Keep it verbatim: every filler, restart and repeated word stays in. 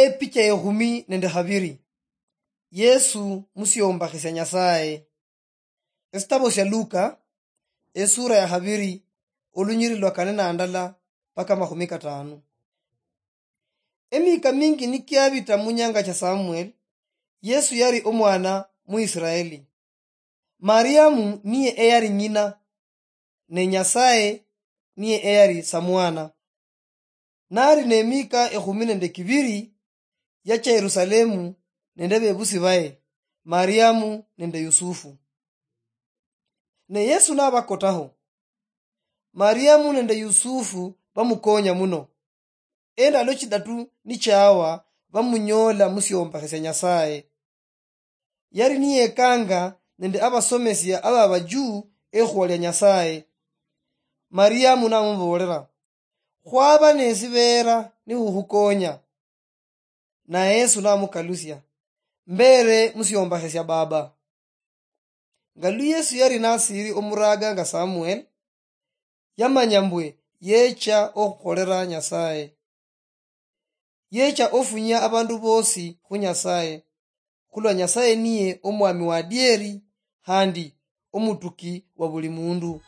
Epicha ekhumi nende khabiri. Yesu musiombakhisia Nyasaye. Esitabo sia Luka, esura ya khabiri, olunyiri lwa kane na ndala paka makhumi katano. Emika mingi nikiabita munyanga cha Samuel, Yesu yari omwana mu Israeli. Mariamu niye eyari nyina, ne Nyasaye niye eyari samwana. Nari nemika ekhumi nende kibiri, yacha Yerusalemu nende bebusi baye, Mariamu nende Yusufu. Ne Yesu nabakotaho. Mariamu nende Yusufu bamukonya muno. Endalo chidatu nichawa, bamunyola musiombakhisia Nyasaye. Yari niyekanga nende abasomesia aba bajuu ekhuwa lia Nyasaye. Mariamu namuboolera, "Khwaba nesibera nikhukhukonya." Naye Yesu namukalusia, "Mbere musiombakhisia Baba." Nga lu Yesu yari nasiri omuraga nga Samuel, yamanya mbwe yecha okhukholera Nyasaye. Yecha ofunyia abandu bosi khu Nyasaye, khulwa Nyasaye niye omwami wa adieri, khandi omutuki wa buli mundu.